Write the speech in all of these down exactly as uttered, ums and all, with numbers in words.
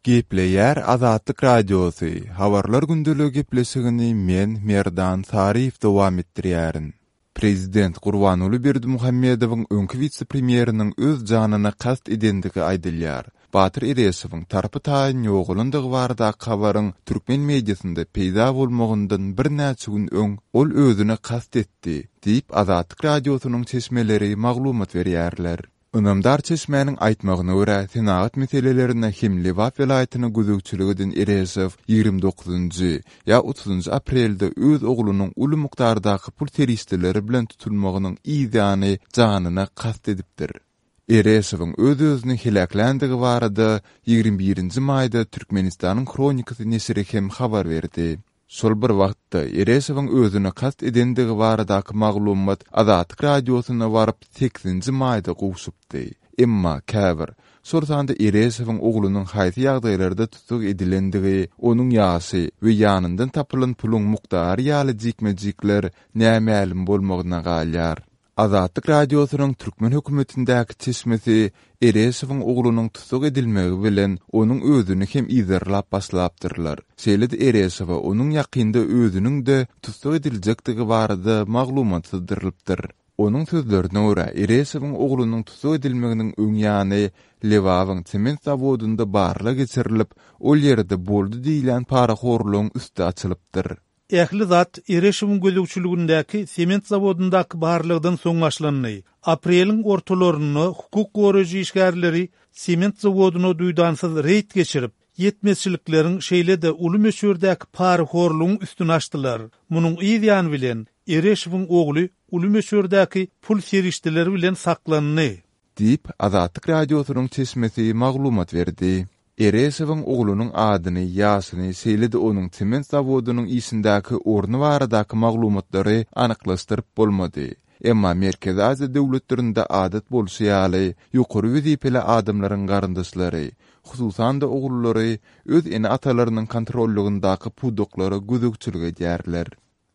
Gepleýär Azatlyk Radiosy, Habarlar gündeligi gepleşigini men, Merdan Saryýew dowam etdirýärin. Prezident Gurbanguly Berdimuhamedowyň öňki wise-premýeriniň öz janyna kast edendigi aýdylýar. Batyr Ereşowyň tarpy-taýyn ýogalandygy baradaky habaryň türkmen mediasynda peýda bolmagyndan birnäçe gün öň ol özüne kast etdi diýip, Azatlyk Radiosynyň çeşmeleri maglumat berýärler. Ynamdar çeşmäniň aýtmagyna görä, senagat meselelerine hem Lebap welaýatyna gözegçilik eden Ereşow ýigrimi dokuzynjy ýa otuzynjy aprelde öz oglunyň uly mukdardaky pul serişdeleri bilen tutulmagynyň yz ýany janyna kast edipdir. Ereşowyň öz-özüni heläkländigi barada ýigrimi birinji maýda Türkmenistanyň Hronikasy neşiri hem habar berdi. Şol bir wagtda, Ereşowyň özüne kast edendigi baradaky maglumat Azatlyk Radiosyna baryp sekizinji maýda gowşupdy. Emma käbir, şol sanda Ereşowyň oglunyň haýsy ýagdaýlarda tussag edilendigi, onuň ýaşy we ýanyndan tapylan puluň mukdary ýaly jikme-jikler nämälim bolmagyna galýar. Azatlyk Radiosynyň türkmen hökümetindäki çeşmesi Ereşowyň oglunyň tussag edilmegi bilen onuň özüni hem yzarlap başlapdyrlar. Şeýle-de Ereşowa onuň ýakynda özüniň-de tussag ediljekdigi barada maglumat syzdyrylypdyr. Onuň sözlerine görä, Ereşowyň oglunyň tussag edilmeginiň öň ýany Lebabyň sement zawodynda barlag geçirilip, ol ýerde boldy diýilýän parahorlugyň üsti açylypdyr. Ähli zat Ereşowyň gözegçiligindäki sement zawodyndaky barlagdan soň başlandy. Apreliň ortalarynda hukuk goraýjy işgärleri sement zawodyna duýdansyz reýd geçirip, ýetmezçilikleriň şeýle-de uly möçberdäki parahorlugyň üstüni açdylar. Munuň yz ýany bilen Ereşowyň ogly uly möçberdäki pul serişdeleri bilen saklandy. Diýip, Azatlyk Radiosynyň çeşmesi maglumat berdi. Ereşowyň oglunyň adyny, ýaşyny, şeýle-de onuň sement zawodynyň işindäki orny baradaky maglumatlary anyklaşdyryp bolmady. Emma Merkezi Aziýa döwletlerinde adat bolşy ýaly, ýokary wezipeli adamlaryň garyndaşlary, hususan-da ogullary öz ene-atalarynyň kontrollygyndaky pudaklara gözegçilik edýärler.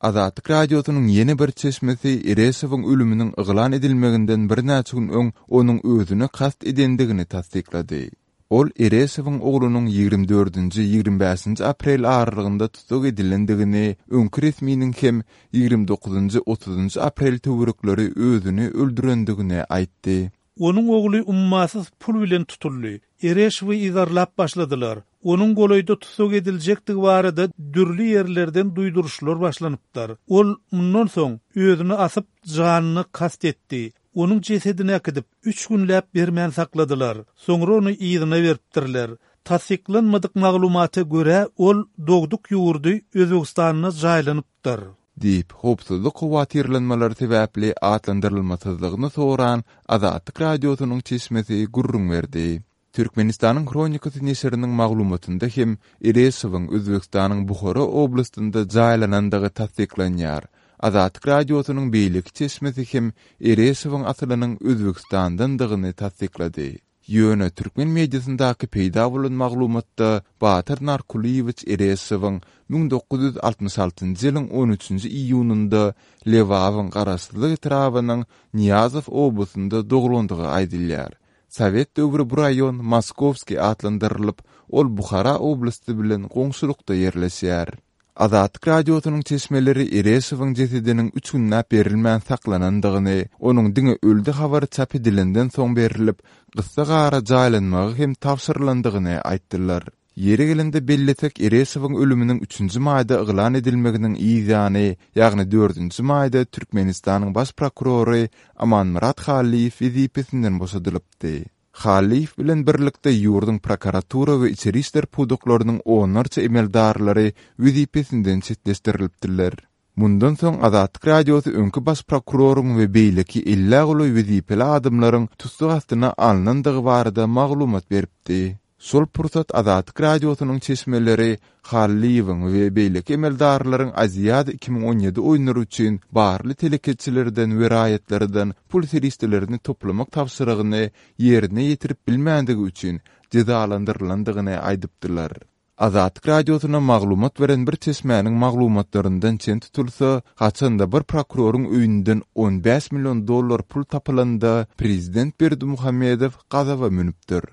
Azatlyk Radiosynyň ýene bir çeşmesi Ereşowyň ölüminiň yglan edilmeginden birnäçe gün öň onuň özüne kast edendigini tassyklady. Ol Ereşowyň oglunyň ýigrimi dördünji, ýigrimi bäşinji aprel aralygynda tussag edilendigini, öňki resminiň hem ýigrimi dokuzynjy, otuzynjy aprel töwerekleri özüni öldürendigini aýtdy. Onuň ogly ummasyz pul bilen tutuldy. Ereşowy yzarlap başladylar. Onuň golaýda tussag ediljekdigi barada dürli ýerlerden duýduryşlar başlanypdyr. Ol mundan soň özüni asyp, janyna kast etdi. Onuň jesedini äkidip, üç günläp bermän sakladylar. Soňra ony yzyna beripdirler. Tassyklanmadyk maglumata görä, ol dogduk ýurdy Özbegistanda jaýlanypdyr. Diýip, howpsuzlyk howatyrlanmalary sebäpli atlandyrylmasyzlygyny soran Azatlyk Radiosynyň çeşmesi gürrüň berdi. Türkmenistanyň Hronikasy neşiriniň maglumatynda hem Ereşowyň Özbegistanyň Buhara oblastynda jaýlanandygy tassyklanýar. Azatlyk Radiosynyň beýleki çeşmesi hem Ereşowyň asylynyň Özbegistandandygyny tassyklady. Ýöne türkmen mediasyndaky peýda bolan maglumatda Batyr Narkulyýewiç Ereşowyň müň dokuz ýüz altmyş altynjy ýylyň on üçünji iýunynda Lebabyň Garaşsyzlyk etrabynyň Nyýazow obasynda doglandygy aýdylýar. Sowet döwri bu raýon Moskowskiý atlandyrylyp, ol Buhara oblasty bilen goňşulykda ýerleşýär. Azatlyk Radiosynyň çeşmeleri Ereşowyň jesediniň üç günläp berilmän saklanandygyny, onuň diňe öldi habary çap edilenden soň berlip, gyssagara jaýlanmagy hem tabşyrylandygyny aýtdylar. Ýeri gelende bellesek, Ereşowyň ölüminiň üçünji maýda yglan edilmeginiň yz ýany, ýagny dördünji maýda Türkmenistanyň baş prokurory Amanmyrat Hallyýew wezipesinden boşadylypdy. Hallyýew bilen birlikde ýurduň prokuratura we içeri işler pudaklarynyň onlarça emeldarlary wezipesinden çetleşdirilipdirler. Mundan soň Azatlyk Radiosy öňki baş prokuroryň we beýleki ellä golaý wezipeli adamlaryň tussag astyna alnandygy barada maglumat beripdi. Şol pursat Azatlyk Radiosynyň çeşmeleri Hallyýewiň we beýleki emeldarlaryň Aziada iki müň on ýedi oýunlary üçin barly telekeçilerden we raýatlardan pul serişdelerini toplamak tabşyrygyny ýerine ýetirip bilmändigi üçin jezalandyrylandygyny aýdypdylar. Azatlyk Radiosyna maglumat beren bir çeşmäniň maglumatlaryndan çen tutulsa, haçanda bir prokuroryň öýünden on bäş million dollar pul tapylanda, prezident Berdimuhamedow gazaba münüpdir.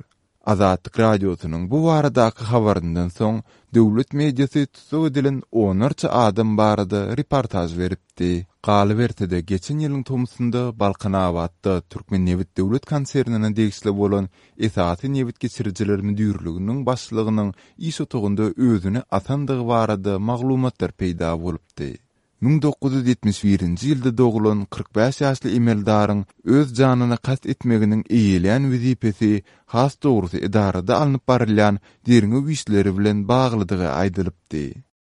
Azatlyk Radiosynyň bu baradaky habaryndan soň, döwlet mediasy tussag edilen onlarça adam barada reportaž beripdi. Galyberse-de, geçen ýylyň tomsunda Balkanabatda Türkmennebit döwlet konsernine degişli bolan Esasy nebit geçirijiler müdirliginiň başlygynyň iş otagynda özüni asandygy barada maglumatlar peýda bolupdy. Müň dokuz ýüz ýetmiş birinji ýylda doglan kyrk bäş ýaşly emeldaryň öz janyna kast etmeginiň eýeleýän wezipesi, has dogrusy edarada alnyp barylýan derňew işleri bilen baglydygy aýdylypdy.